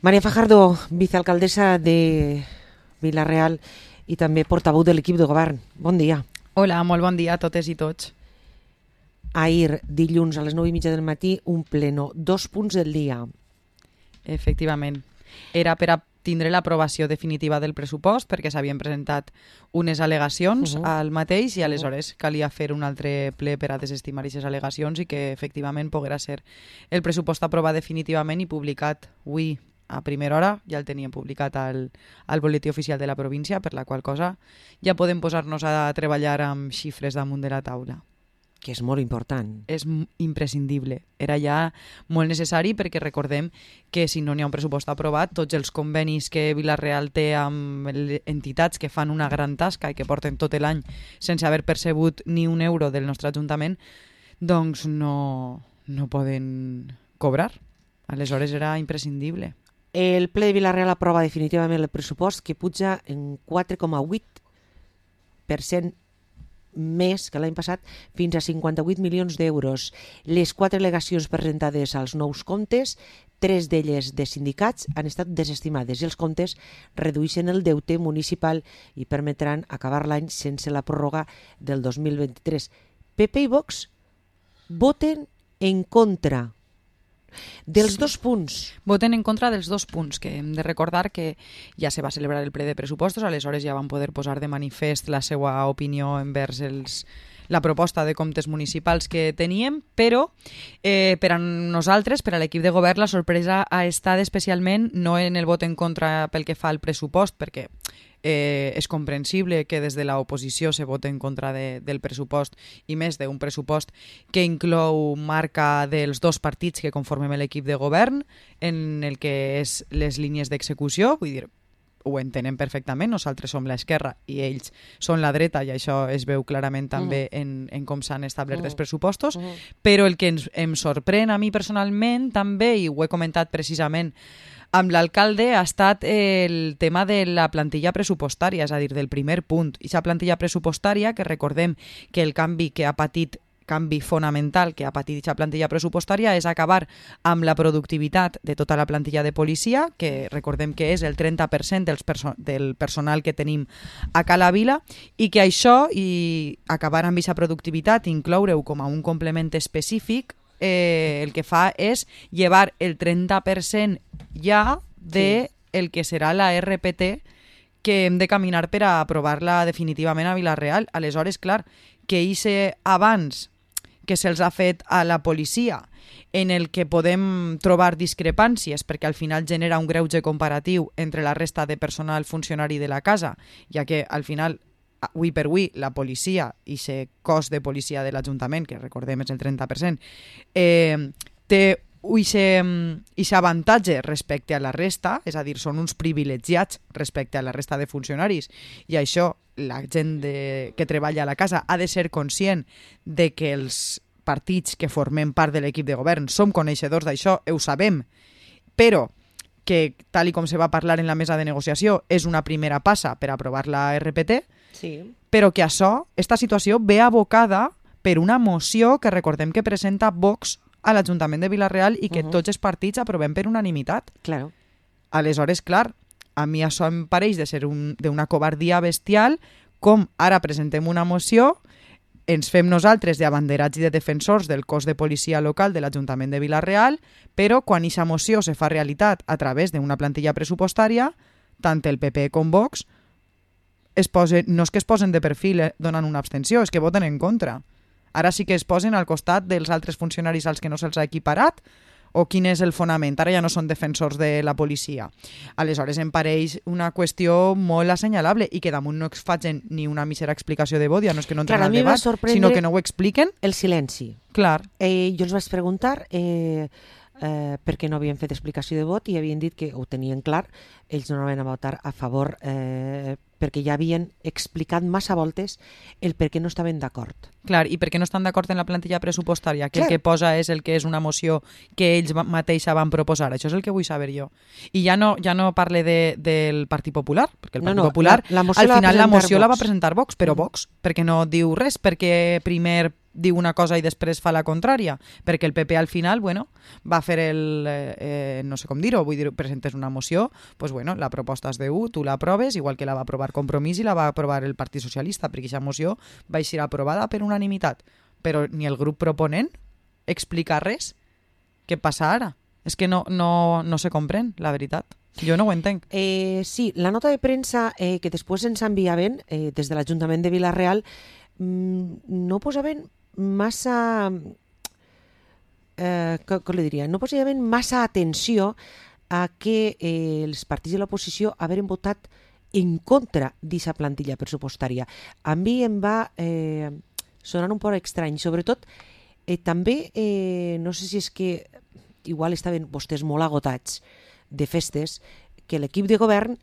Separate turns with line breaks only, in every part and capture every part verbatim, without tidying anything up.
Maria Fajardo, vicealcaldessa de Vila-real i també portaveu de l'equip de govern. Bon dia.
Hola, molt bon dia a totes i tots.
Ahir, dilluns, a les nou i mitja del matí, un pleno, dos punts del dia.
Efectivament. Era per a tindre l'aprovació definitiva del pressupost perquè s'havien presentat unes al·legacions uh -huh. al mateix i aleshores calia fer un altre ple per a desestimar aquestes al·legacions i que efectivament poguera ser el pressupost aprovat definitivament i publicat avui a primera hora. Ja el teníem publicat al, al boletí oficial de la província, per la qual cosa ja podem posar-nos a treballar amb xifres damunt de la taula.
Que és molt important.
És imprescindible. Era ja molt necessari perquè recordem que si no n'hi ha un pressupost aprovat, tots els convenis que Vila-real té amb entitats que fan una gran tasca i que porten tot l'any sense haver percebut ni un euro del nostre Ajuntament, doncs no, no poden cobrar. Aleshores era imprescindible.
El ple de Vila-real aprova definitivament el pressupost que puja en quatre coma vuit per cent més que l'any passat, fins a cinquanta-vuit milions d'euros. Les quatre al·legacions presentades als nous comptes, tres d'elles de sindicats, han estat desestimades i els comptes redueixen el deute municipal i permetran acabar l'any sense la pròrroga del dos mil vint-i-tres. P P i Vox voten en contra dels
sí.
dos punts.
Voten en contra dels dos punts, que hem de recordar que ja se va celebrar el ple de pressupostos, aleshores ja van poder posar de manifest la seva opinió envers els, la proposta de comptes municipals que teníem, però eh, per a nosaltres, per a l'equip de govern, la sorpresa ha estat especialment no en el vot en contra pel que fa al pressupost, perquè Eh, és comprensible que des de l'oposició se voti en contra de, del pressupost i més d'un pressupost que inclou marca dels dos partits que conformem l'equip de govern en el que és les línies d'execució, vull dir, ho entenem perfectament, nosaltres som l'esquerra i ells són la dreta i això es veu clarament també uh -huh. en, en com s'han establert uh -huh. els pressupostos, uh -huh. però el que ens, em sorprèn a mi personalment també, i ho he comentat precisament amb l'alcalde, ha estat el tema de la plantilla pressupostària, és a dir, del primer punt. I aquesta plantilla pressupostària, que recordem que el canvi que ha patit, canvi fonamental que ha patit aquesta plantilla pressupostària és acabar amb la productivitat de tota la plantilla de policia, que recordem que és el trenta per cent dels perso- del personal que tenim a Cala Vila, i que això, i acabar amb aquesta productivitat, incloure-ho com a un complement específic, Eh, el que fa és llevar el trenta per cent ja de sí. el que serà la R P T que hem de caminar per a aprovar-la definitivament a Vila-real. Aleshores, clar, que hice abans que se'ls ha fet a la policia, en el que podem trobar discrepàncies perquè al final genera un greuge comparatiu entre la resta de personal funcionari de la casa, ja que al final avui per avui, la policia i el cos de policia de l'Ajuntament, que recordem és el trenta per cent, eh, té aquest avantatge respecte a la resta, és a dir, són uns privilegiats respecte a la resta de funcionaris, i això la gent de, que treballa a la casa ha de ser conscient de que els partits que formem part de l'equip de govern som coneixedors d'això, ho sabem, però que, tal i com se va parlar en la mesa de negociació, és una primera passa per aprovar la R P T,
sí.
però que això, esta situació ve abocada per una moció que recordem que presenta Vox a l'Ajuntament de Vila-real i que uh -huh. tots els partits aprovem per unanimitat.
Claro.
Aleshores, clar, a mi això em pareix de ser un, d'una covardia bestial, com ara presentem una moció, ens fem nosaltres d'abanderats i de defensors del cos de policia local de l'Ajuntament de Vila-real, però quan aquesta moció se fa realitat a través d'una plantilla pressupostària, tant el P P com Vox es posen, no és que es posen de perfil eh, donant una abstenció, és que voten en contra. Ara sí que es posen al costat dels altres funcionaris als que no se'ls ha equiparat, o quin és el fonament? Ara ja no són defensors de la policia. Aleshores em pareix una qüestió molt assenyalable i que damunt no es facin ni una mísera explicació de vot, ja no és que no entren al debat, sinó que no ho expliquen.
El silenci.
Clar.
Eh, jo els vaig preguntar eh, eh, per què no havien fet explicació de vot i havien dit que ho tenien clar, ells no anaven a votar a favor eh, perquè ja havien explicat massa voltes el per què no estaven d'acord.
Clar, i per què no estan d'acord en la plantilla pressupostària, que
Clar.
el que posa és el que és una moció que ells mateixa van proposar. Això és el que vull saber jo. I ja no, ja no parle de, del Partit Popular, perquè el Partit
no, no,
Popular,
la, la
al final la moció
Vox.
la va presentar Vox, però Vox, perquè no diu res, perquè primer diu una cosa i després fa la contrària, perquè el P P al final, bueno, va fer el, eh, eh, no sé com dir-ho, vull dir, presentes una moció, pues bueno, la proposta és de u, tu l'aproves, igual que la va aprovar Compromís i la va aprovar el Partit Socialista, perquè aquesta moció va ser aprovada per unanimitat, però ni el grup proponent explica res. Què passa ara? És que no, no, no se comprèn, la veritat. Jo no ho entenc.
Eh, sí, la nota de premsa eh, que després ens enviaven eh, des de l'Ajuntament de Vila-real mmm, no posaven massa, eh, com li diria, no posaven massa atenció a que eh, els partits de l'oposició haveren votat en contra d'aquesta plantilla pressupostària. A mi em va eh, sonar un poc estrany, sobretot eh, també, eh, no sé si és que igual estaven vostès molt agotats de festes, que l'equip de govern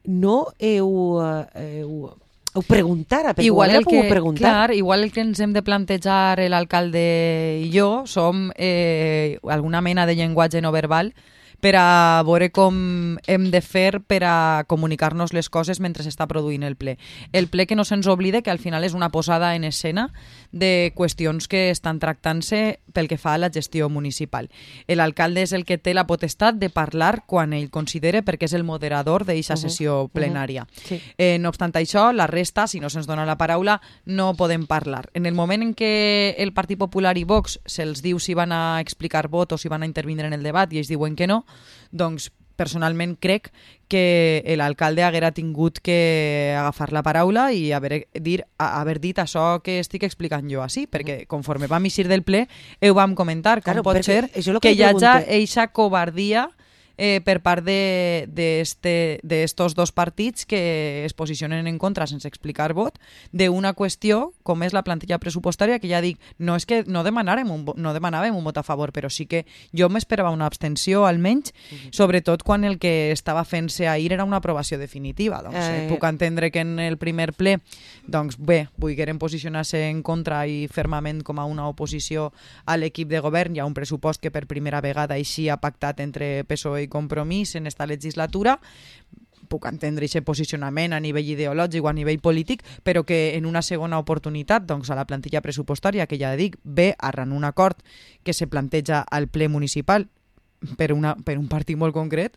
no heu... Eh, heu ho preguntara, perquè
igual
ho
el que,
preguntar.
clar, igual el que ens hem de plantejar l'alcalde i jo som eh, alguna mena de llenguatge no verbal per a veure com hem de fer per a comunicar-nos les coses mentre s'està produint el ple. El ple que no se'ns oblide que al final és una posada en escena de qüestions que estan tractant-se pel que fa a la gestió municipal. L'alcalde és el que té la potestat de parlar quan ell considere, perquè és el moderador d'aquesta sessió uh -huh. plenària. Uh -huh. Sí. eh, no obstant això, la resta, si no se'ns dona la paraula, no podem parlar. En el moment en què el Partit Popular i Vox se'ls diu si van a explicar vot o si van a intervindre en el debat i ells diuen que no, doncs personalment crec que l'alcalde haguera tingut que agafar la paraula i haver, dir, haver dit això que estic explicant jo així, perquè conforme vam eixir del ple ho vam comentar, com claro, pot ser que, que hi hagi eixa covardia eh, per part d'estos dos partits que es posicionen en contra sense explicar vot d'una qüestió com és la plantilla pressupostària, que ja dic, no és que no demanàvem un, no demanàvem un vot a favor, però sí que jo m'esperava una abstenció almenys, uh-huh. sobretot quan el que estava fent-se ahir era una aprovació definitiva. Doncs eh... puc entendre que en el primer ple doncs bé, volgueren posicionar-se en contra i fermament com a una oposició a l'equip de govern. Hi ha un pressupost que per primera vegada així ha pactat entre P S O E i Compromís en esta legislatura. Puc entendre aquest posicionament a nivell ideològic o a nivell polític, però que en una segona oportunitat doncs, a la plantilla pressupostària, que ja dic, ve arran un acord que se planteja al ple municipal per, una, per un partit molt concret,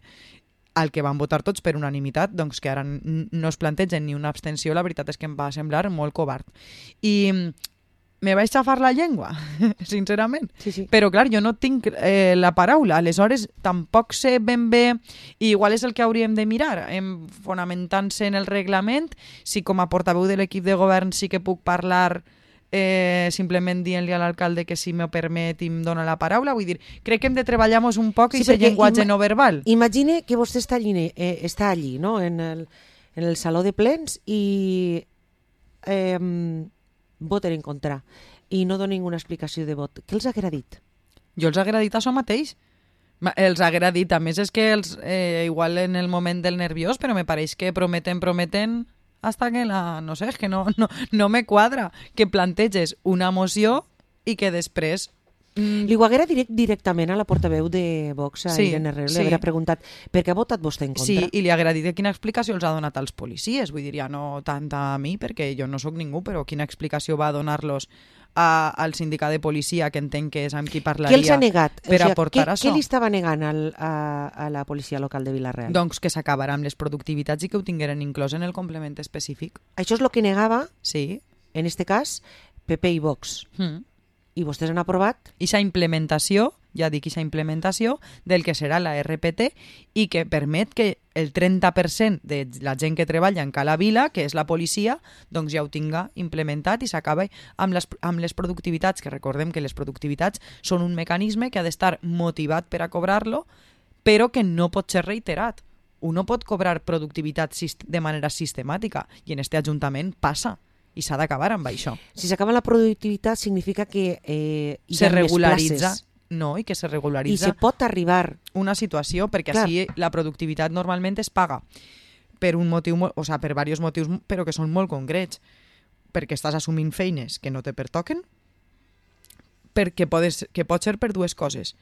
al que van votar tots per unanimitat, doncs que ara no es plantegen ni una abstenció, la veritat és que em va semblar molt covard. I me vaig xafar la llengua, sincerament. Sí, sí. Però, clar, jo no tinc eh, la paraula. Aleshores, tampoc sé ben bé, i igual és el que hauríem de mirar, em, fonamentant-se en el reglament, si com a portaveu de l'equip de govern sí que puc parlar eh, simplement dient-li a l'alcalde que si me permet i em dona la paraula. Vull dir, crec que hem de treballar-nos un poc sí, i aquest llenguatge no verbal.
Imagine que vostè està allí, eh, està allí no? en, el, en el saló de plens i... Eh, voten en contra i no donen ninguna explicació de vot. Què els haguera dit?
Jo els haguera dit això mateix. Els haguera dit, a més és que els, eh, igual en el moment del nerviós, però me pareix que prometen, prometen hasta que la... no sé, és que no, no, no me quadra que planteges una moció i que després...
Mm. Li ho haguera direct, directament a la portaveu de Vox, a sí, Irene Herrero, sí. Li haguera preguntat per què ha votat vostè en contra?
Sí, i li haguera dit quina explicació els ha donat als policies, vull dir, ja no tant a mi, perquè jo no sóc ningú, però quina explicació va donar-los a, al sindicat de policia, que entenc que és amb qui parlaria,
què els ha negat?
Per o sigui,
què,
aportar això.
Què li estava negant al, a, a la policia local de Vila-real?
Doncs que s'acabarà amb les productivitats i que ho tingueren inclòs en el complement específic.
Això és el que negava,
sí.
En este cas, P P i Vox. Mm. I vostès han aprovat?
Ixa implementació, ja dic ixa implementació, del que serà la R P T i que permet que el trenta per cent de la gent que treballa en Cala Vila, que és la policia, doncs ja ho tinga implementat i s'acaba amb les, amb les productivitats, que recordem que les productivitats són un mecanisme que ha d'estar motivat per a cobrar-lo, però que no pot ser reiterat. Uno pot cobrar productivitat de manera sistemàtica i en este Ajuntament passa. I s'ha d'acabar amb això.
Si s'acaba la productivitat significa que eh, hi
se
ha
regularitza,
més places.
No, i que se regularitza.
I se pot arribar.
Una situació, perquè clar. Així la productivitat normalment es paga per un motiu, o sigui, per diversos motius, però que són molt concrets. Perquè estàs assumint feines que no te pertoquen, perquè podes, que pot ser per dues coses.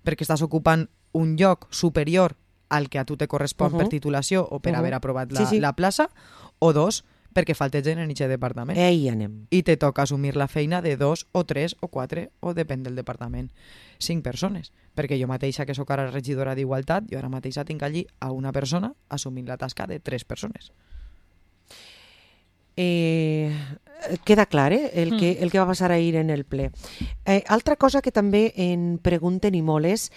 Perquè estàs ocupant un lloc superior al que a tu te correspon uh-huh. per titulació o per uh-huh. haver aprovat la, sí, sí. la plaça, o dos, perquè falta gent en aquest departament.
Ei, anem.
I te toca assumir la feina de dos o tres o quatre, o depèn del departament, cinc persones. Perquè jo mateixa, que sóc ara regidora d'Igualtat, jo ara mateixa tinc allí a una persona assumint la tasca de tres persones.
Eh, queda clar, eh? el, que, el que va passar ahir en el ple. Eh, altra cosa que també en pregunten i molt és: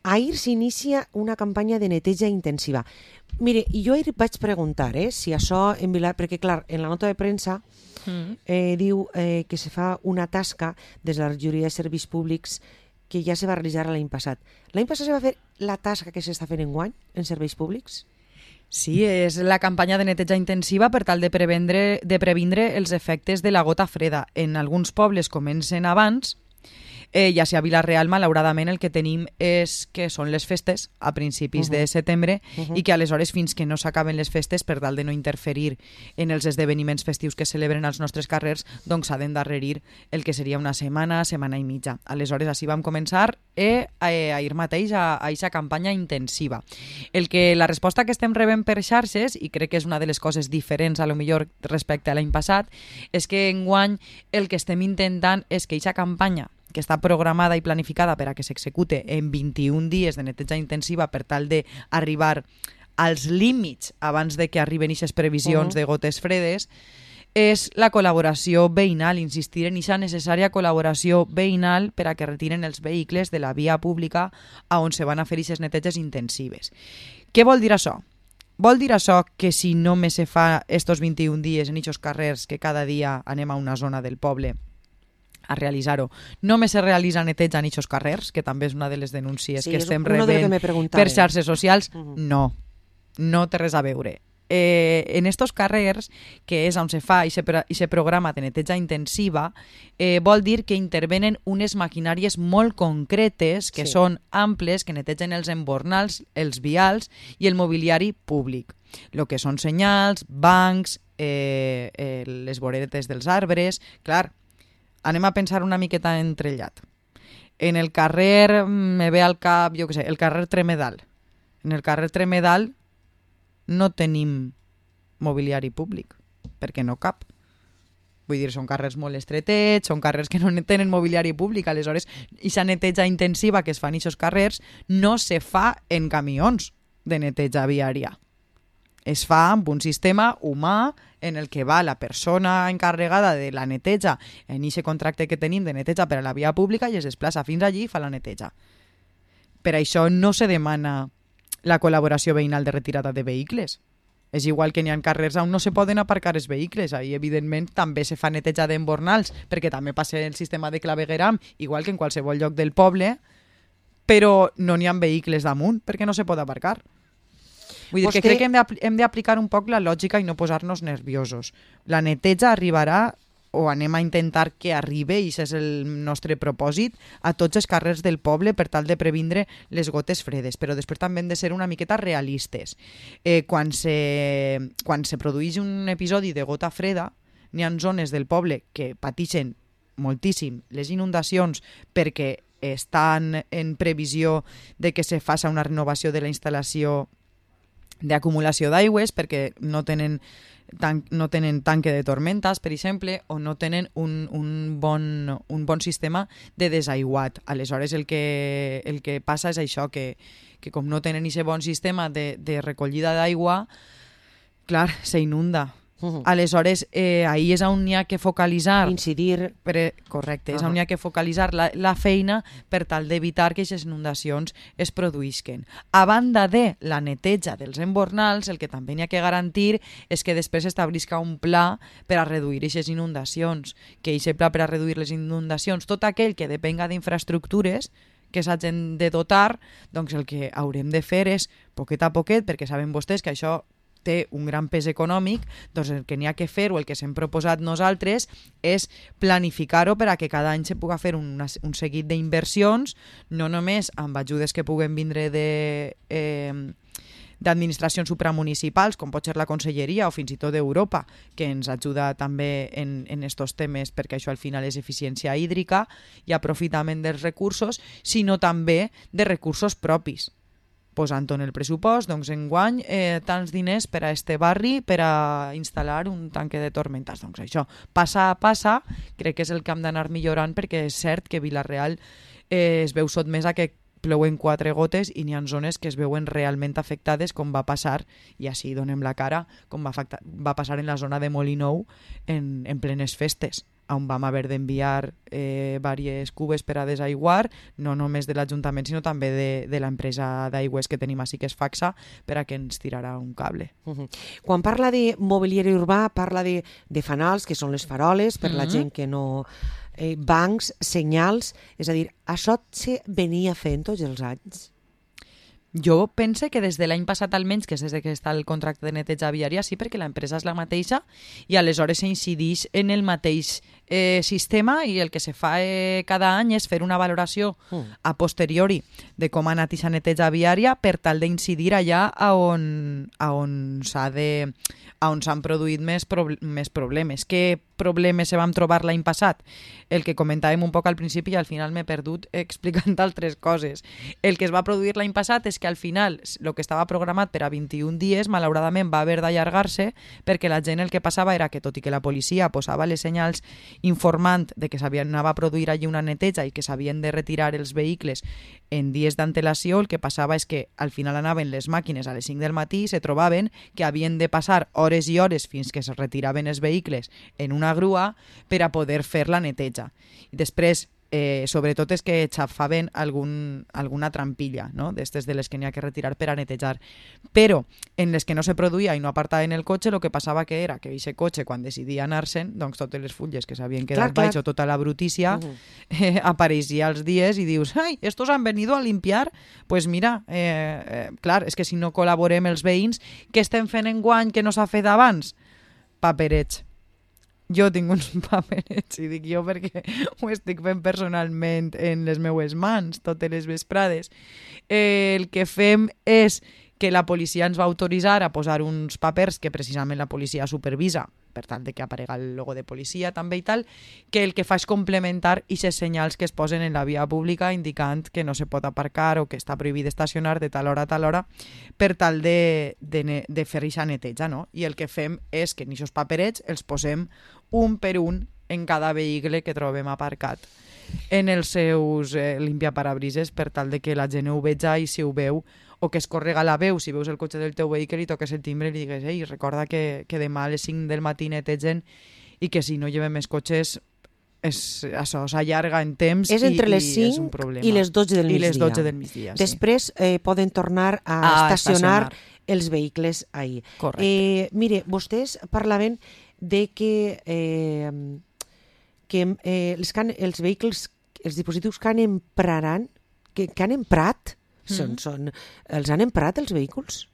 ahir s'inicia una campanya de neteja intensiva. Mire, jo ahir vaig preguntar eh, si això en Vila... Perquè, clar, en la nota de premsa eh, diu eh, que se fa una tasca des de la regidoria de serveis públics que ja se va realitzar l'any passat. L'any passat se va fer la tasca que s'està fent enguany en serveis públics?
Sí, és la campanya de neteja intensiva per tal de previndre, de previndre els efectes de la gota freda. En alguns pobles comencen abans, eh, ja sigui a Vila-real, malauradament, el que tenim és que són les festes a principis uh -huh. de setembre uh -huh. i que aleshores, fins que no s'acaben les festes, per tal de no interferir en els esdeveniments festius que celebren als nostres carrers, doncs s'ha d'endarrerir el que seria una setmana, setmana i mitja. Aleshores, així vam començar eh, ahir mateix a aquesta campanya intensiva. El que la resposta que estem rebent per xarxes, i crec que és una de les coses diferents a lo millor respecte a l'any passat, és que enguany el que estem intentant és que aquesta campanya, que està programada i planificada per a que s'execute en vint-i-un dies de neteja intensiva per tal d'arribar als límits abans de que arriben aquestes previsions uh -huh. de gotes fredes, és la col·laboració veïnal, insistir en aquesta necessària col·laboració veïnal per a que retiren els vehicles de la via pública a on se van a fer aquestes neteges intensives. Què vol dir això? Vol dir això que si només se fa estos vint-i-un dies en aquests carrers, que cada dia anem a una zona del poble a realitzar-ho, només se realitza neteja en aquests carrers, que també és una de les denúncies
sí,
que estem
de
rebent per xarxes socials? Uh -huh. No, no té res a veure. Eh, en estos carrers, que és on se fa i se, i se programa de neteja intensiva, eh, vol dir que intervenen unes maquinàries molt concretes, que sí. són amples, que netegen els embornals, els vials i el mobiliari públic. El que són senyals, bancs, eh, eh, les voretes dels arbres... Clar, anem a pensar una miqueta entrellat. En el carrer, me ve al cap, jo què sé, el carrer Tremedal. En el carrer Tremedal no tenim mobiliari públic, perquè no cap. Vull dir, són carrers molt estretets, són carrers que no tenen mobiliari públic, aleshores, aquesta neteja intensiva que es fa en aquests carrers no se fa en camions de neteja viària. Es fa amb un sistema humà en el que va la persona encarregada de la neteja en aquest contracte que tenim de neteja per a la via pública i es desplaça fins allí i fa la neteja. Per això no se demana la col·laboració veïnal de retirada de vehicles. És igual que n'hi ha carrers on no se poden aparcar els vehicles. Ahí, evidentment, també se fa neteja d'embornals, perquè també passa el sistema de clavegueram, igual que en qualsevol lloc del poble, però no n'hi ha vehicles damunt, perquè no se pot aparcar. Vull dir Vostè... que crec que hem d'aplicar un poc la lògica i no posar-nos nerviosos. La neteja arribarà, o anem a intentar que arribi, i això és el nostre propòsit, a tots els carrers del poble per tal de previndre les gotes fredes, però després també hem de ser una miqueta realistes. Eh, quan, se, quan se produeix un episodi de gota freda, n'hi ha zones del poble que pateixen moltíssim les inundacions perquè estan en previsió de que se faci una renovació de la instal·lació d'acumulació d'aigües, perquè no tenen, tan, no tenen tanque de tormentas, per exemple, o no tenen un, un, bon, un bon sistema de desaiguat. Aleshores, el que, el que passa és això, que, que com no tenen aquest bon sistema de, de recollida d'aigua, clar, s'inunda. Uh-huh. Aleshores, eh, ahí és on n'hi ha que focalitzar...
Incidir...
Per, correcte, és
uh-huh.
on n'hi ha que focalitzar la, la feina per tal d'evitar que aquestes inundacions es produïsquen. A banda de la neteja dels embornals, el que també n'hi ha que garantir és que després s'establisca un pla per a reduir aquestes inundacions, que aquest pla per a reduir les inundacions, tot aquell que depenga d'infraestructures que s'hagin de dotar, doncs el que haurem de fer és, poquet a poquet, perquè saben vostès que això té un gran pes econòmic, doncs el que n'hi ha que fer o el que s'hem proposat nosaltres és planificar-ho per a que cada any se puga fer una, un seguit d'inversions, no només amb ajudes que puguen vindre de, eh, d'administracions supramunicipals, com pot ser la Conselleria o fins i tot d'Europa, que ens ajuda també en, en estos temes, perquè això al final és eficiència hídrica i aprofitament dels recursos, sinó també de recursos propis. posant-ho en el pressupost, doncs enguany eh, tants diners per a este barri per a instal·lar un tanque de tormentas. Doncs això, passa a passa, crec que és el que hem d'anar millorant, perquè és cert que Vila-real eh, es veu sotmesa que plouen quatre gotes i n'hi ha zones que es veuen realment afectades, com va passar, i així donem la cara, com va, afectar, va passar en la zona de Molinou en, en plenes festes, on vam haver d'enviar eh, diverses cubes per a desaiguar, no només de l'Ajuntament, sinó també de, de l'empresa d'aigües que tenim així, que és Faxa, per a que ens tirarà un cable.
Uh-huh. Quan parla de mobiliari urbà, parla de, de fanals, que són les faroles, per uh-huh. la gent que no... Eh, bancs, senyals, és a dir, això se venia fent tots els anys?
Jo pense que des de l'any passat almenys, que és des que està el contracte de neteja viària, sí, perquè l'empresa és la mateixa i aleshores s'incideix en el mateix eh, sistema, i el que se fa eh, cada any és fer una valoració mm. a posteriori de com ha anat aquesta neteja viària per tal d'incidir allà a on, a on s'ha de... a on s'han produït més, prob més problemes. Què problemes se vam trobar l'any passat? El que comentàvem un poc al principi i al final m'he perdut explicant altres coses. El que es va produir l'any passat és que al final el que estava programat per a vint-i-un dies malauradament va haver d'allargar-se, perquè la gent el que passava era que, tot i que la policia posava les senyals informant de que s'anava a produir allí una neteja i que s'havien de retirar els vehicles en dies d'antelació, el que passava és que al final anaven les màquines a les cinc del matí i se trobaven que havien de passar hores i hores fins que es retiraven els vehicles en una grua per a poder fer la neteja. I després, eh, sobretot és que xafaven algun, alguna trampilla, no? D'estes de les que n'hi ha que retirar per a netejar. Però en les que no se produïa i no apartaven el cotxe, el que passava que era que aquest cotxe, quan decidia anar-se'n, doncs totes les fulles que s'havien quedat baix o tota la brutícia, uh -huh. eh, apareixia als dies i dius, ai, estos han venido a limpiar? Pues mira, eh, eh, clar, és que si no col·laborem els veïns, què estem fent enguany que no s'ha fet abans? Paperets. Jo tinc uns paperets, i dic jo perquè ho estic fent personalment en les meues mans totes les vesprades. Eh, el que fem és que la policia ens va autoritzar a posar uns papers que precisament la policia supervisa, per tant de que aparega el logo de policia també i tal, que el que fa és complementar aquests senyals que es posen en la via pública indicant que no se pot aparcar o que està prohibit estacionar de tal hora a tal hora, per tal de, de, de fer aquesta neteja, no? I el que fem és que en aquests paperets els posem un per un en cada vehicle que trobem aparcat en els seus eh, limpiaparabrises, per tal de que la gent ho veja, i si ho veu o que es correga la veu, si veus el cotxe del teu vehicle i toques el timbre i li digues, ei, recorda que, que demà a les cinc del matí netegen i que si no llevem més cotxes és, això s'allarga en temps
és entre
i,
les
i és un
cinc
problema.
i les dotze del
I
migdia.
les dotze del migdia, sí.
Després eh, poden tornar a,
a
estacionar,
estacionar
els vehicles ahí.
Correcte.
Eh, mire, vostès parlaven de que, eh, que eh, els, can, els vehicles, els dispositius que han empraran, que, que han emprat, Són, són, els han emprat els vehicles?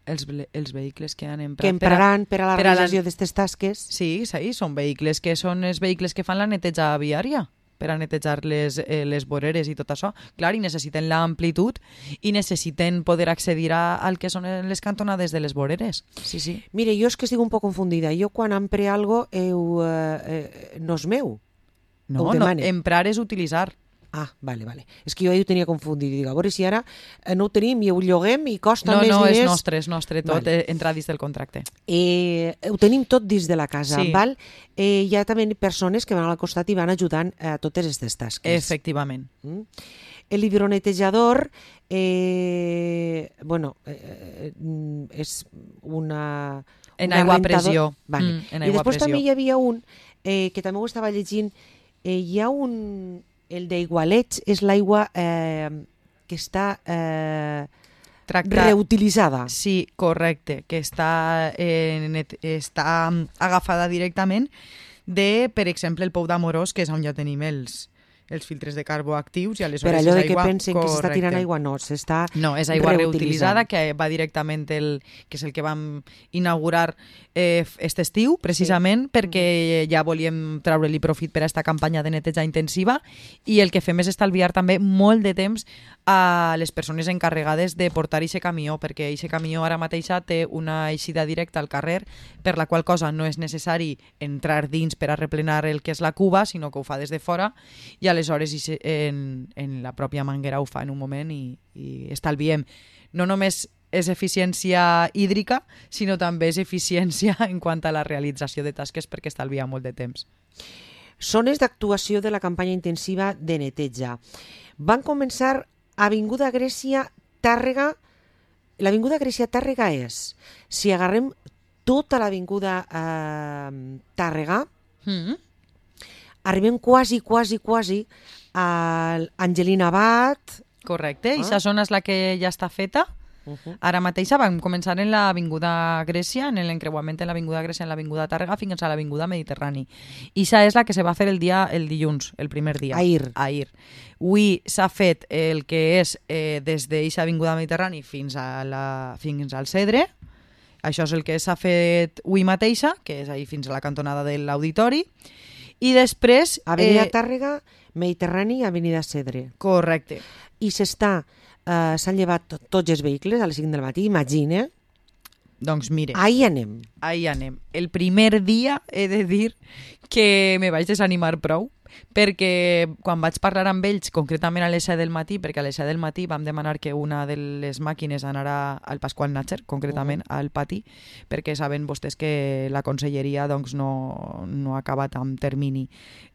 Els, els vehicles que han emprat...
Que empraran per a, per a la realització
la...
d'aquestes tasques?
Sí, sí, són vehicles que són els vehicles que fan la neteja viària, per a netejar les, eh, les voreres i tot això. Clar, i necessiten l'amplitud i necessiten poder accedir a, al que són les cantonades de les voreres. Sí, sí.
Mire, jo és que estic un poc confundida. Jo quan empre algo heu, eh, eh, no és meu.
No, no, emprar és utilitzar.
Ah, vale, vale. És que jo ho tenia confundit. Dic, a veure si ara no ho tenim i ho lloguem i costa
no,
més
no,
diners.
No, no, és nostre, és nostre tot, vale. Entra dins del contracte.
Eh, ho tenim tot dins de la casa,
sí.
Val? Eh, hi ha també persones que van al costat i van ajudant a totes aquestes tasques.
Efectivament.
Mm? El hidronetejador, eh, bueno, eh, és una...
En
una
aigua a
rentador...
pressió.
Vale.
Mm, en
I
aigua
després
pressió.
també hi havia un, eh, que també ho estava llegint, eh, hi ha un... El d'Aigualets és l'aigua eh, que està eh, Tracta... reutilitzada.
Sí, correcte, que està, eh, net, està agafada directament de, per exemple, el Pou d'Amorós, que és on ja tenim els, els filtres de carbó actius, i aleshores
per allò
és
de
aigua...
que pensen correcte. Que s'està tirant aigua, no, s'està
No, és aigua reutilitzada, que va directament, el, que és el que vam inaugurar eh, aquest estiu, precisament, sí. perquè ja volíem treure-li profit per a aquesta campanya de neteja intensiva, i el que fem és estalviar també molt de temps a les persones encarregades de portar aquest camió, perquè aquest camió ara mateixa té una eixida directa al carrer, per la qual cosa no és necessari entrar dins per a replenar el que és la cuba, sinó que ho fa des de fora, i aleshores en, en la pròpia manguera ho fa en un moment i, i estalviem. No només és eficiència hídrica, sinó també és eficiència en quant a la realització de tasques perquè estalvia molt de temps.
Zones d'actuació de la campanya intensiva de neteja. Van començar a Avinguda Grècia, Tàrrega. L'Avinguda Grècia Tàrrega és, si agarrem tota l'Avinguda eh, Tàrrega, mm-hmm. arribem quasi, quasi, quasi a Angelina Abad.
Correcte, i aquesta zona és la que ja està feta. Uh-huh. Ara mateix vam començar en l'Avinguda Grècia, en l'encreuament en l'Avinguda Grècia, en l'Avinguda Tàrrega, fins a l'Avinguda Mediterrani. I això és la que se va fer el dia el dilluns, el primer dia.
Ahir.
Ahir. Avui s'ha fet el que és eh, des d'eixa Avinguda Mediterrani fins, a la, fins al Cedre. Això és el que s'ha fet avui mateixa, que és ahir fins a la cantonada de l'Auditori. I després...
Avenida eh... Tàrrega, Mediterrani i Avenida Cedre.
Correcte.
I s'està... Uh, s'han llevat tot, tots els vehicles a les cinc del matí, imagina.
Doncs mire.
Ahí anem.
Ahí anem. El primer dia he de dir que me vaig desanimar prou, perquè quan vaig parlar amb ells, concretament a les set del matí, perquè a les set del matí vam demanar que una de les màquines anara al Pasqual Natxer, concretament uh-huh. al pati, perquè saben vostès que la conselleria doncs, no, no ha acabat amb termini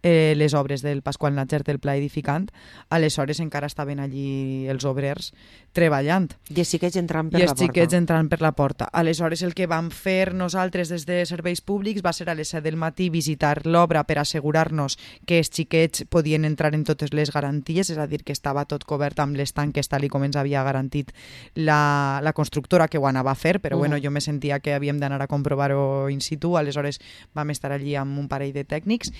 eh, les obres del Pasqual Natxer del pla edificant, aleshores encara estaven allí els obrers treballant.
I els xiquets entrant per
I
la porta.
I els xiquets entrant per la porta. Aleshores el que vam fer nosaltres des de serveis públics va ser a les set del matí visitar l'obra per assegurar-nos que els xiquets podien entrar en totes les garanties, és a dir, que estava tot cobert amb les tanques tal i com ens havia garantit la, la constructora que ho anava a fer, però uh-huh. bueno, jo me sentia que havíem d'anar a comprovar-ho in situ, aleshores vam estar allí amb un parell de tècnics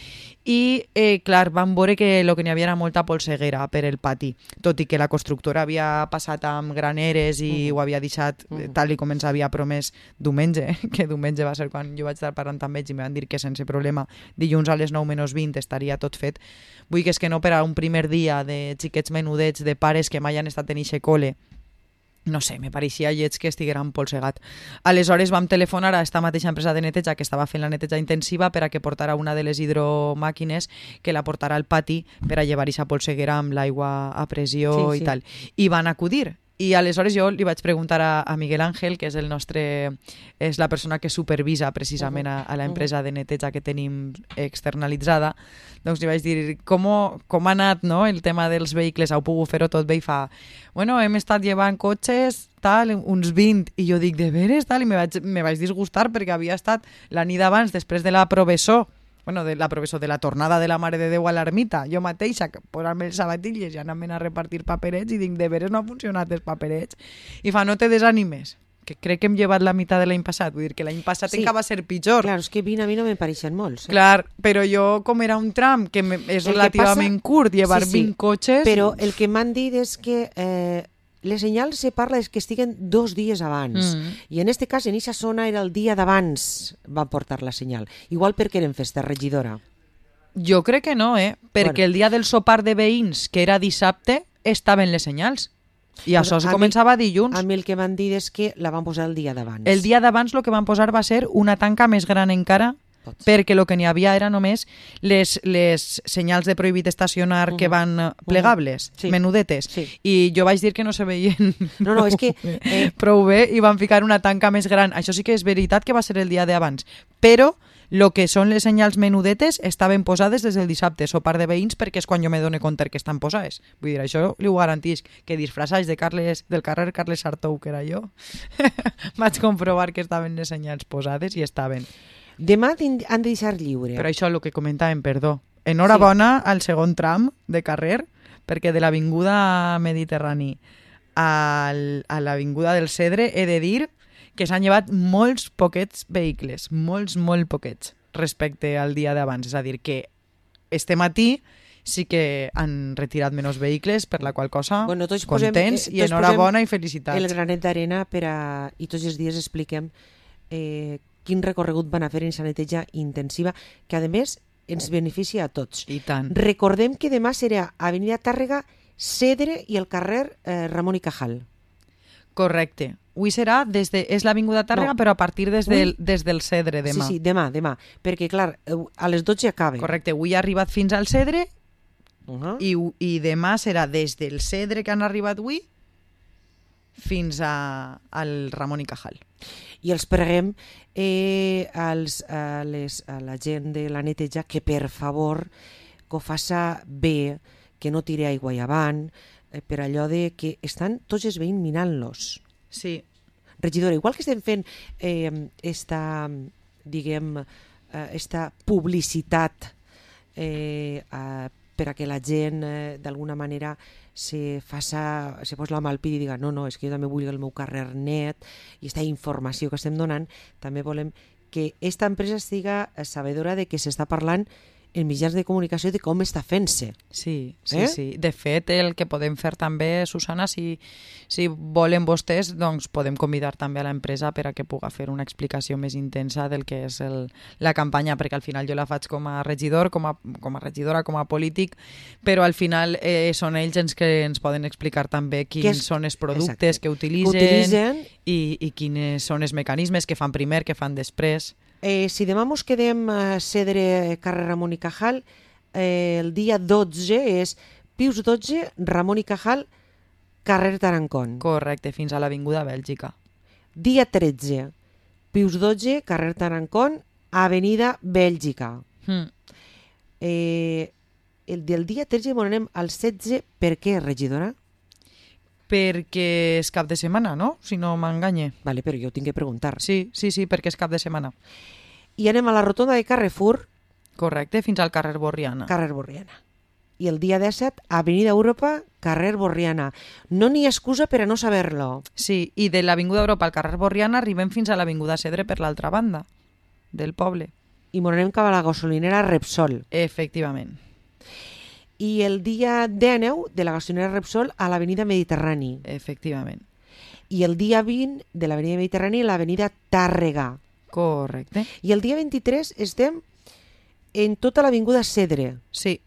i, eh, clar, vam veure que el que n'hi havia era molta polseguera per el pati, tot i que la constructora havia passat amb graneres i uh-huh. ho havia deixat uh-huh. tal i com ens havia promès diumenge, que diumenge va ser quan jo vaig estar parlant amb ells i me van dir que sense problema dilluns a les nou menys vint estaria tot fet. Vull que és que no per a un primer dia de xiquets menudets, de pares que mai han estat en eixe cole, no sé, me pareixia lleig que estigueren polsegat. Aleshores vam telefonar a esta mateixa empresa de neteja que estava fent la neteja intensiva per a que portara una de les hidromàquines que la portara al pati per a llevar eixa polseguera amb l'aigua a pressió sí, i sí. tal. I van acudir. I aleshores jo li vaig preguntar a, a Miguel Ángel, que és el nostre, és la persona que supervisa precisament a, a l'empresa de neteja que tenim externalitzada, doncs li vaig dir com, com ha anat no, el tema dels vehicles, heu pogut fer-ho tot bé i fa, bueno, hem estat llevant cotxes, tal, uns vint, i jo dic, de veres, tal, i me vaig, me vaig disgustar perquè havia estat la nit abans, després de la provessó, bueno, de la professor de la tornada de la Mare de Déu a l'ermita, jo mateixa posar-me els sabatilles i anar-me'n a repartir paperets i dic, de veres no ha funcionat els paperets. I fa, no te desanimes, que crec que hem llevat la meitat de l'any passat, vull dir que l'any passat sí. encara va ser pitjor.
Clar, és que vint a mi no me pareixen molts. Eh?
Clar, però jo, com era un tram que és el relativament passa... curt, llevar sí, sí. vint cotxes...
Però el que m'han dit és que... Eh... les senyals se parla és que estiguen dos dies abans. Mm. I en este cas, en aquesta zona, era el dia d'abans van portar la senyal. Igual perquè eren festa regidora.
Jo crec que no, eh? Perquè bueno. el dia del sopar de veïns, que era dissabte, estaven les senyals. I pues això es començava
mi,
dilluns.
A mi el que m'han dit és que la van posar el dia d'abans.
El dia d'abans el que van posar va ser una tanca més gran encara, Pots. perquè el que n'hi havia era només les, les senyals de prohibit estacionar uh-huh. que van plegables, uh-huh. sí. menudetes, sí. i jo vaig dir que no se veien
no, no, és que, eh...
prou bé i van ficar una tanca més gran. Això sí que és veritat que va ser el dia d'abans, però el que són les senyals menudetes estaven posades des del dissabte, sopar de veïns, perquè és quan jo me dono compte que estan posades. Vull dir, això li ho garantís, que disfressats de Carles, del carrer Carles Sartou, que era jo, vaig comprovar que estaven les senyals posades i estaven.
Demà han de deixar lliure.
Però això és el que comentàvem, perdó. Enhorabona sí. al segon tram de carrer, perquè de l'Avinguda Mediterrani al, a l'Avinguda del Cedre he de dir que s'han llevat molts poquets vehicles, molts, molt poquets, respecte al dia d'abans. És a dir, que este matí sí que han retirat menys vehicles, per la qual cosa
bueno, tots
contents posem, eh, i enhorabona i felicitats.
El granet d'arena per a... i tots els dies expliquem eh, quin recorregut van a fer en aquesta neteja intensiva, que a més ens beneficia a tots.
I tant.
Recordem que demà serà Avenida Tàrrega, Cedre i el carrer eh, Ramon i Cajal.
Correcte. Avui serà des de... és l'Avinguda Tàrrega, no. però a partir des del, des del Cedre demà.
Sí, sí, demà, demà. Perquè, clar, a les dotze acaba.
Correcte. Avui ha arribat fins al Cedre
Uh -huh.
I, i demà serà des del Cedre que han arribat avui fins a, al Ramon y Cajal.
I els preguem eh, als, a, les, a la gent de la neteja que per favor que ho faça bé, que no tire aigua i avant, eh, per allò de que estan tots els veïns minant-los.
Sí.
Regidora, igual que estem fent eh, esta, diguem, eh, esta publicitat eh, a, per a que la gent eh, d'alguna manera se faça, se posa la mà al pit i diga no, no, és que jo també vull el meu carrer net, i aquesta informació que estem donant, també volem que aquesta empresa estiga sabedora de que s'està parlant en mitjans de comunicació de com està fent-se.
Sí, sí,
eh?
sí. De fet, el que podem fer també, Susana, si, si volen vostès, doncs podem convidar també a l'empresa per a que puga fer una explicació més intensa del que és el, la campanya, perquè al final jo la faig com a regidor, com a, com a regidora, com a polític, però al final eh, són ells els que ens poden explicar també quins
és,
són els productes
exacte,
que utilitzen,
que utilitzen
i, i quins són els mecanismes que fan primer, que fan després.
Eh, si demà mos quedem a Cedre, carrer Ramon y Cajal, eh, el dia dotze és Pius dotze, Ramon y Cajal, carrer Tarancón.
Correcte, fins a l'Avinguda Bèlgica.
Dia tretze, Pius dotze, carrer Tarancón, avenida Bèlgica.
Mm.
Eh, el del dia tretze m'anem al setze, per què, regidora?
Perquè és cap de setmana, no? Si no m'enganye.
Vale, però jo ho tinc que preguntar.
Sí, sí, sí, perquè és cap de setmana.
I anem a la rotonda de Carrefour.
Correcte, fins al carrer Borriana.
Carrer Borriana. I el dia disset, avenida Europa, carrer Borriana. No n'hi ha excusa per a no saber-lo.
Sí, i de l'Avinguda Europa al carrer Borriana arribem fins a l'Avinguda Cedre per l'altra banda del poble.
I m'anem cap a la gasolinera Repsol.
Efectivament.
I el dia dinou de la gasolinera Repsol a l'avenida Mediterrani.
Efectivament.
I el dia vint de l'avenida Mediterrani a l'avenida Tàrrega.
Correcte.
I el dia vint-i-tres estem en tota l'avinguda Cedre.
Sí,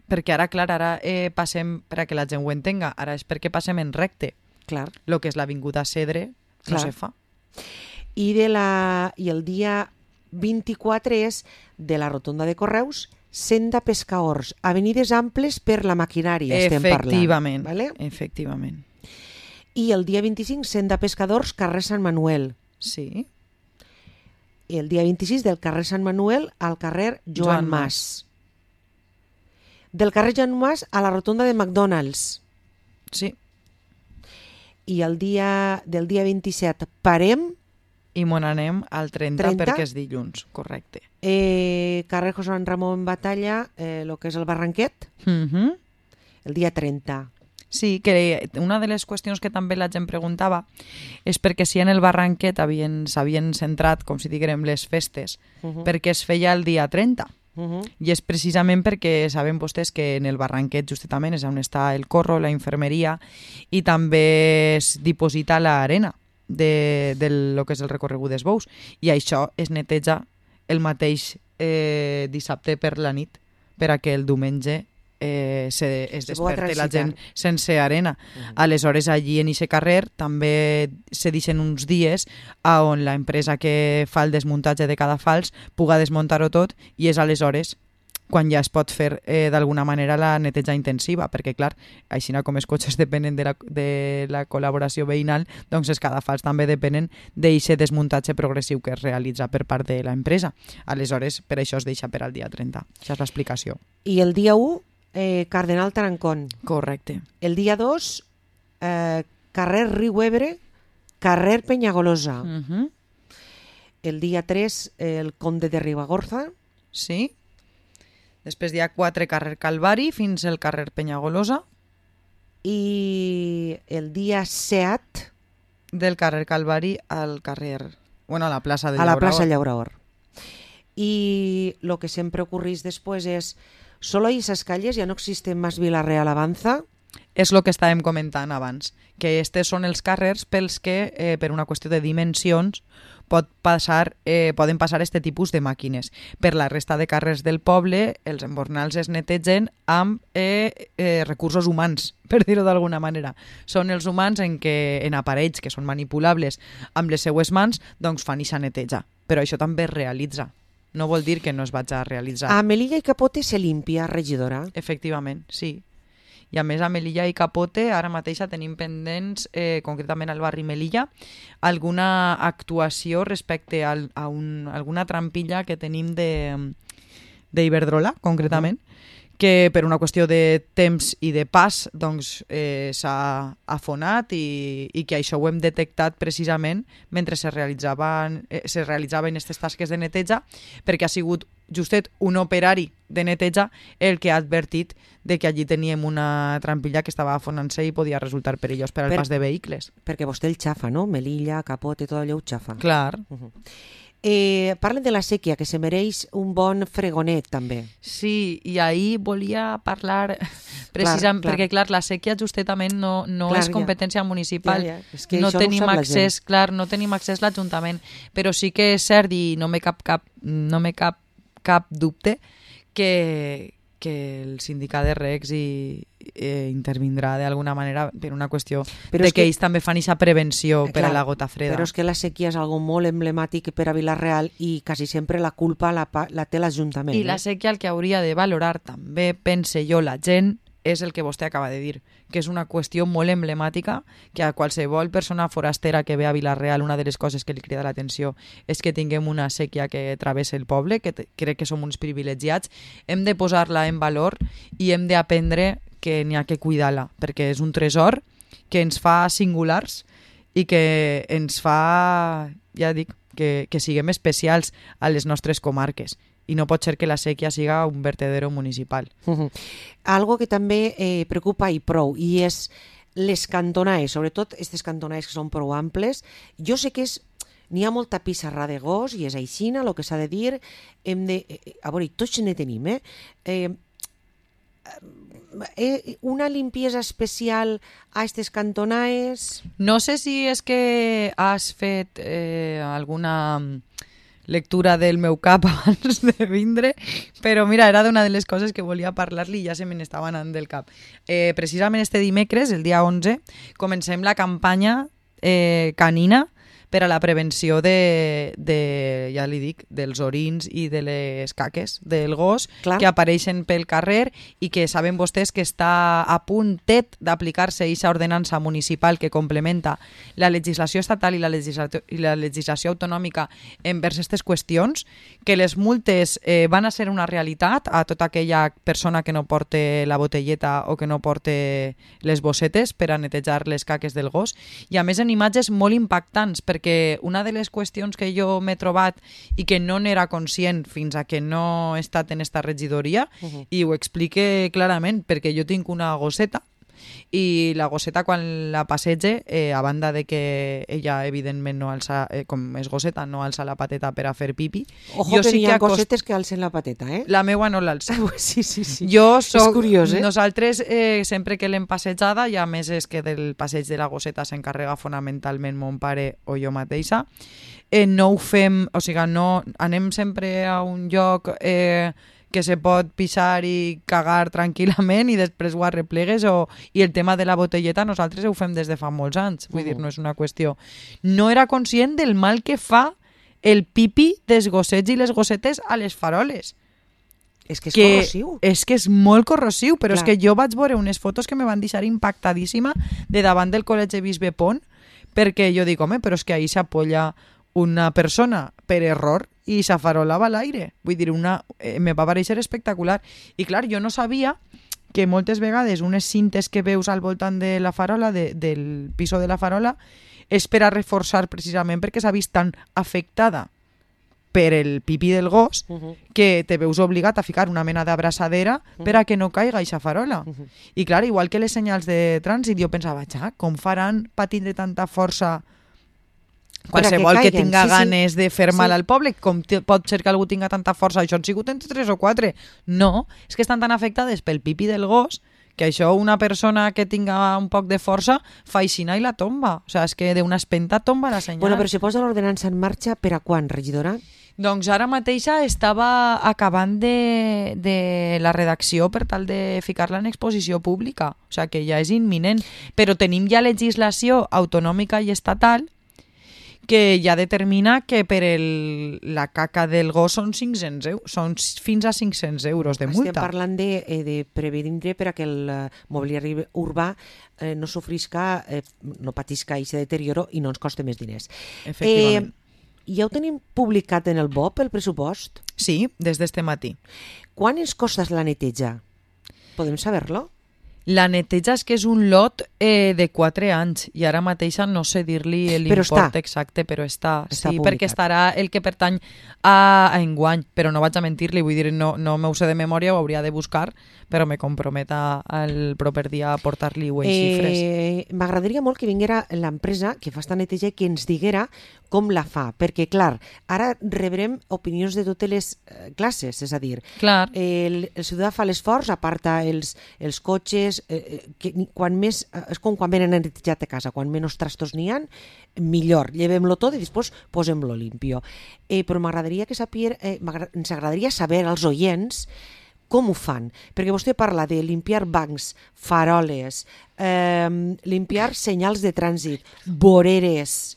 perquè ara, clar, ara eh, passem, per a que la gent ho entenga, ara és perquè passem en recte.
Clar.
Lo que és l'Avinguda Cedre no
Clar.
se fa.
I, de la, I el dia vint-i-quatre és de la rotonda de Correus, Senda Pescaors, avenides amples per la maquinària, estem parlant.
Efectivament,
Vale?
efectivament.
I el dia vint-i-cinc, Senda Pescadors, carrer Sant Manuel.
Sí.
I el dia vint-i-sis, del carrer Sant Manuel al carrer Joan,
Joan
Mas. Del carrer Joan Mas a la rotonda de McDonald's.
Sí.
I el dia, del dia vint-i-set parem,
I me n'anem al trenta,
trenta?
perquè és dilluns, correcte.
eh, carrer José Ramon Batalla, eh, lo que és el Barranquet,
Mm -hmm.
el dia trenta.
Sí, que una de les qüestions que també la gent preguntava és perquè si en el Barranquet s'havien centrat, com si diguem, les festes,
Uh -huh.
perquè es feia el dia trenta.
Uh -huh.
I és precisament perquè saben vostès que en el Barranquet justament és on està el corro, la infermeria, i també es diposita l'arena de, de lo que és el recorregut dels bous. I això es neteja el mateix eh, dissabte per la nit, per a que el diumenge eh, se, es
Se pugui
desperte la
transitar.
gent sense arena.
Uh -huh.
Aleshores, allí en aquest carrer també se deixen uns dies a on la empresa que fa el desmuntatge de cada fals puga desmuntar-ho tot, i és aleshores quan ja es pot fer eh, d'alguna manera la neteja intensiva, perquè clar, així com els cotxes depenen de la, de la col·laboració veïnal, doncs els cadafals també depenen d'aquest desmuntatge progressiu que es realitza per part de l'empresa. Aleshores, per això es deixa per al dia trenta. Això és l'explicació.
I el dia u, eh, Cardenal Tarancón.
Correcte.
El dia dos, eh, carrer Riu Ebre, carrer Penyagolosa.
Uh -huh.
El dia tres, eh, el Conde de Ribagorza.
Sí. Després dia quatre, carrer Calvari, fins al carrer Penyagolosa.
I el dia set,
Del carrer Calvari al carrer... Bueno, a la plaça de
a la
Llauraor.
plaça Llauraor. Y lo que siempre ocurrís después es, solo hay esas calles, ya no existe más Vila-real Avanza.
És el que estàvem comentant abans, que estes són els carrers pels que, eh, per una qüestió de dimensions, pot passar, eh, poden passar este tipus de màquines. Per la resta de carrers del poble, els embornals es netegen amb eh, eh, recursos humans, per dir-ho d'alguna manera. Són els humans en, què, en aparells que són manipulables amb les seues mans, doncs fan ixa neteja. Però això també es realitza. no vol dir que no es vaig a realitzar.
A Melilla i Capote se limpia, regidora?
Efectivament, sí. I a més a Melilla i Capote ara mateixa tenim pendents, eh, concretament al barri Melilla, alguna actuació respecte al, a un, alguna trampilla que tenim d'Iberdrola, concretament, que per una qüestió de temps i de pas doncs, eh, s'ha afonat i, i que això ho hem detectat precisament mentre se realitzaven, eh, se realitzaven aquestes tasques de neteja, perquè ha sigut justet un operari de neteja el que ha advertit de que allí teníem una trampilla que estava afonant-se i podia resultar perillós per al
per,
pas de vehicles.
Perquè vostè el xafa, no? Melilla, Capote, tot allò ho xafa.
Clar.
Uh-huh. Eh, parlen de la sèquia, que se mereix un bon fregonet, també.
Sí, i ahir volia parlar precisament, clar, clar. perquè, clar, la sèquia justament no, no clar, és competència ja. municipal.
Ja, ja. És que
no tenim
no
accés, clar, no tenim accés a l'Ajuntament, però sí que és cert i no me cap cap, no me cap, cap dubte que, que el sindicat de recs i, eh, intervindrà d'alguna manera per una qüestió però de que, que ells també fan aquesta prevenció eh, per clar, a la gota freda.
Però és que la sèquia és algo molt emblemàtic per a Vila-real i quasi sempre la culpa la, la té l'Ajuntament.
I eh? la sèquia el que hauria de valorar també, pense jo, la gent, és el que vostè acaba de dir, que és una qüestió molt emblemàtica, que a qualsevol persona forastera que ve a Vila-real una de les coses que li crida l'atenció és que tinguem una sèquia que travessa el poble, que crec que som uns privilegiats, hem de posar-la en valor i hem d'aprendre que n'hi ha que cuidar-la, perquè és un tresor que ens fa singulars i que ens fa, ja dic, que, que siguem especials a les nostres comarques. I no pot ser que la sèquia siga un vertedero municipal.
Uh-huh. Algo que també eh, preocupa i prou, i és les cantonaes, sobretot aquestes cantonaes que són prou amples. Jo sé que és, n'hi ha molta pissarra de gos, i és aixina, el que s'ha de dir. Hem de, eh, a veure, tots ne tenim, eh? eh Eh, una limpiesa especial a aquestes cantonaes?
No sé si és que has fet eh, alguna lectura del meu cap abans de vindre, però mira, era d'una de les coses que volia parlar-li i ja se me n'estava anant del cap. Eh, precisament este dimecres, el dia onze, comencem la campanya eh, canina per a la prevenció de, de, ja li dic, dels orins i de les caques del gos. Clar. Que apareixen pel carrer i que saben vostès que està a puntet d'aplicar-se aquesta ordenança municipal que complementa la legislació estatal i la legislació, i la legislació autonòmica envers aquestes qüestions, que les multes eh, van a ser una realitat a tota aquella persona que no porte la botelleta o que no porte les bossetes per a netejar les caques del gos, i a més en imatges molt impactants, perquè perquè una de les qüestions que jo m'he trobat i que no n'era conscient fins a que no he estat en esta regidoria, uh-huh. i ho explique clarament, perquè jo tinc una gosseta i la gosseta quan la passege, eh, a banda de que ella evidentment no alça, eh, com és gosseta, no alça la pateta per a fer pipi.
Ojo jo que sí hi ha que gossetes acost... que alcen la pateta, eh?
La meua no l'alça.
Sí, sí, sí.
Jo soc...
És curiós, eh?
Nosaltres, eh, sempre que l'hem passejada, i a més és que del passeig de la gosseta s'encarrega fonamentalment mon pare o jo mateixa, eh, no ho fem, o sigui, no anem sempre a un lloc... Eh, que se pot pixar i cagar tranquil·lament i després ho arreplegues, o... i el tema de la botelleta nosaltres ho fem des de fa molts anys, vull uh-huh. dir, no és una qüestió. No era conscient del mal que fa el pipi dels gossets i les gossetes a les faroles.
És que és que corrosiu.
És que és molt corrosiu, però Clar. És que jo vaig veure unes fotos que me van deixar impactadíssima de davant del col·legi Bisbe Pont, perquè jo dic, home, però és que ahí s'apoya una persona per error i s'afarolava a l'aire. Vull dir, una, eh, me va pareixer espectacular. I clar, jo no sabia que moltes vegades unes cintes que veus al voltant de la farola, de, del piso de la farola, és per a reforçar precisament perquè s'ha vist tan afectada per el pipí del gos, uh-huh. que te veus obligat a ficar una mena d'abraçadera uh-huh. per a que no caiga eixa farola. Uh-huh. I clar, igual que les senyals de trànsit, jo pensava, ja, com faran patint de tanta força qualsevol que, que tinga sí, ganes sí. de fer mal sí. al poble, com t- pot ser que algú tinga tanta força, això han sigut entre tres o quatre. No, és que estan tan afectades pel pipi del gos que això una persona que tinga un poc de força fa aixina i la tomba. O sigui, és que d'una espenta tomba la senyal.
Bueno, però si posa l'ordenança en marxa, per a quan, regidora?
Doncs ara mateixa estava acabant de, de la redacció per tal de ficar-la en exposició pública. O sigui, que ja és imminent. Però tenim ja legislació autonòmica i estatal que ja determina que per el, la caca del gos són cinc-cents euros, són fins a cinc-cents euros de multa.
Estem parlant de, eh, de prevenir perquè el eh, mobiliari urbà eh, no sofrisca, eh, no patisca aquest deterioro i no ens costa més diners.
Efectivament.
Eh, ja ho tenim publicat en el B O P, el pressupost?
Sí, des d'este matí.
Quan ens costa la neteja? Podem saber-lo?
La neteja és que és un lot eh, de quatre anys i ara mateixa no sé dir-li l'import exacte, però està,
està
sí,
publicat.
Perquè estarà el que pertany a, a enguany, però no vaig a mentir-li, vull dir, no, no m'ho sé de memòria, ho hauria de buscar, però me compromet el proper dia a portar-li ues
eh,
xifres.
M'agradaria molt que vinguera l'empresa que fa esta neteja i que ens diguera com la fa, perquè, clar, ara rebrem opinions de totes les eh, classes, és a dir,
clar.
el, el ciutadà fa l'esforç, aparta els, els cotxes, eh, que quan més, és com quan venen netejat a casa, quan menys trastos n'hi ha, millor, llevem-lo tot i després posem-lo limpio. Eh, però m'agradaria que saber, eh, ens agradaria saber als oients com ho fan, perquè vostè parla de limpiar bancs, faroles, eh, limpiar senyals de trànsit, voreres,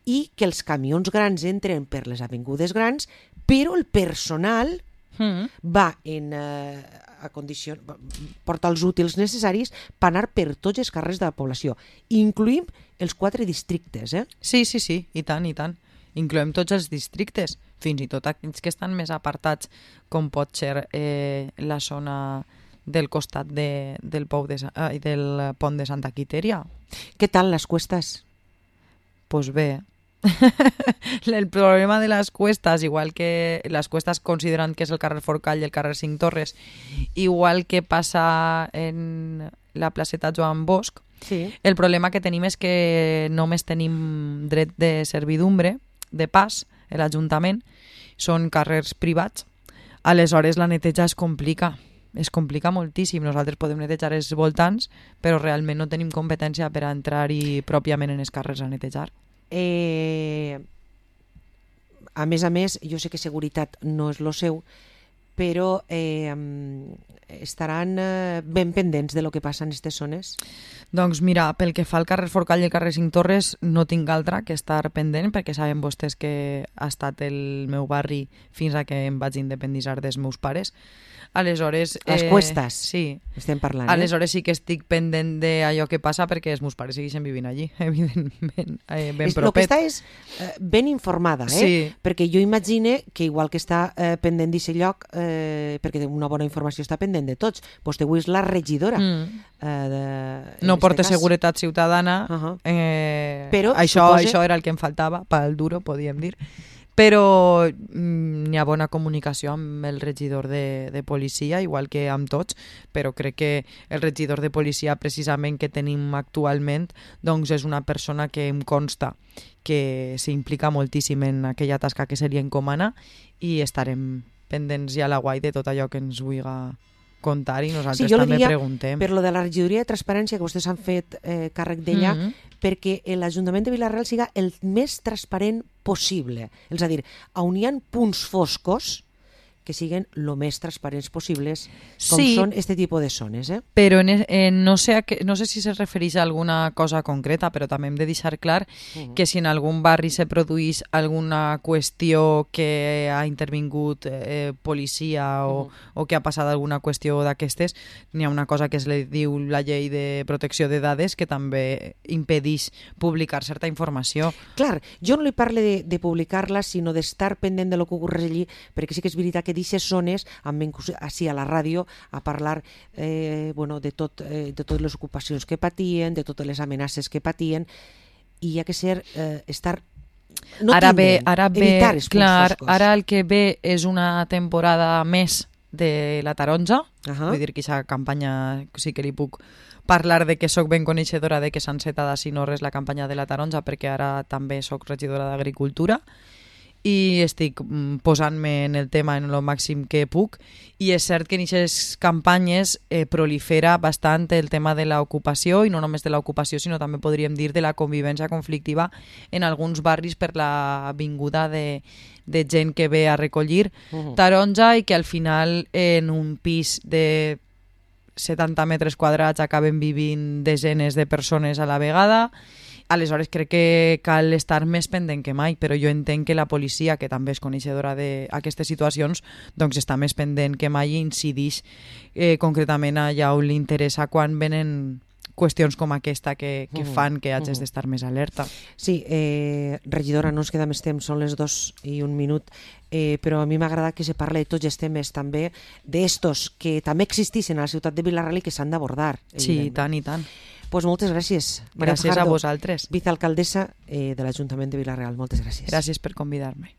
i que els camions grans entren per les avingudes grans, però el personal mm. va en eh, a condició, porta els útils necessaris per anar per tots els carrers de la població. Incluïm els quatre districtes, eh?
Sí, sí, sí, i tant, i tant. Incloem tots els districtes, fins i tot aquells que estan més apartats, com pot ser eh, la zona del costat de, del, pou de, eh, del pont de Santa Quiteria.
Què tal les cuestes?
Pues bé. El problema de les cuestas, igual que les cuestas considerant que és el carrer Forcall i el carrer Cinc Torres, igual que passa en la placeta Joan Bosch,
sí.
El problema que tenim és que només tenim dret de servidumbre, de pas, l'Ajuntament, són carrers privats, aleshores la neteja es complica, es complica moltíssim. Nosaltres podem netejar els voltants, però realment no tenim competència per a entrar-hi pròpiament en els carrers a netejar.
Eh, a més a més, jo sé que seguretat no és lo seu, però eh, estaran eh, ben pendents de lo que passa en aquestes zones?
Doncs mira, pel que fa al carrer Forcall i el carrer Cinc Torres no tinc altra que estar pendent, perquè saben vostès que ha estat el meu barri fins a que em vaig independitzar dels meus pares. Aleshores...
Les
eh,
cuestes,
sí.
Estem parlant.
Aleshores
eh?
sí que estic pendent d'allò que passa perquè els meus pares segueixen vivint allí, evidentment, eh, ben
és,
propet.
El que està és eh, ben informada, eh?
Sí.
Perquè jo imagine que igual que està eh, pendent d'aquest lloc, eh, perquè una bona informació està pendent de tots, vostè avui és la regidora. Mm. Eh, de,
no porta
cas.
Seguretat Ciutadana,
uh-huh.
eh,
però
això,
supose...
això era el que em faltava, pel duro, podíem dir. Però mm, hi ha bona comunicació amb el regidor de, de policia, igual que amb tots, però crec que el regidor de policia precisament que tenim actualment doncs és una persona que em consta que s'implica moltíssim en aquella tasca que se li encomana i estarem pendents ja a la guai de tot allò que ens vulgui contar i nosaltres
sí,
també preguntem.
Per lo de la regidoria de transparència que vostès han fet eh, càrrec d'ella, mm-hmm. perquè l'Ajuntament de Vila-real siga el més transparent possible. És a dir, on hi ha punts foscos que siguen lo més transparents possibles, com
sí,
són este tipus de zones. Eh?
Però en, en, no, sé a que, no sé si se refereix a alguna cosa concreta, però també hem de deixar clar uh-huh. que si en algun barri se produeix alguna qüestió que ha intervingut eh, policia o, uh-huh. o que ha passat alguna qüestió d'aquestes, n'hi ha una cosa que es li diu la llei de protecció de dades que també impedeix publicar certa informació.
Clar, jo no li parlo de, de publicar-la, sinó d'estar pendent de lo que ocorre allí, perquè sí que és veritat que d'aquestes zones em ven així a la ràdio a parlar eh, bueno, de, tot, eh, de totes les ocupacions que patien, de totes les amenaces que patien, i hi ha que ser eh, estar no
ara
tindent,
ve, ara
evitar
ve,
els
clar,
punts foscos.
Ara el que ve és una temporada més de la taronja, uh-huh. vull dir que aquesta campanya sí que li puc parlar de que sóc ben coneixedora de que s'ha encetat a Sinorres la campanya de la taronja, perquè ara també sóc regidora d'Agricultura i estic posant-me en el tema en el màxim que puc, i és cert que en aquestes campanyes eh, prolifera bastant el tema de l'ocupació, i no només de l'ocupació, sinó també podríem dir de la convivència conflictiva en alguns barris per la vinguda de, de gent que ve a recollir uh-huh. taronja i que al final en un pis de setanta metres quadrats acaben vivint desenes de persones a la vegada. aleshores crec que cal estar més pendent que mai, però jo entenc que la policia, que també és coneixedora d'aquestes situacions, doncs està més pendent que mai i incidix eh, concretament allà on li interessa quan venen qüestions com aquesta que, que fan que hagis d'estar més alerta.
Sí, eh, regidora, no ens queda més temps, són les dos i un minut, eh, però a mi m'agrada que se parli de tots els temes també d'estos que també existeixen a la ciutat de Vila-real i que s'han d'abordar.
Sí, i tant, i tant.
Pues moltes gràcies.
Maria gràcies Fajardo, a vosaltres.
Vicealcaldessa eh, de l'Ajuntament de Vila-real. Moltes gràcies.
Gràcies per convidar-me.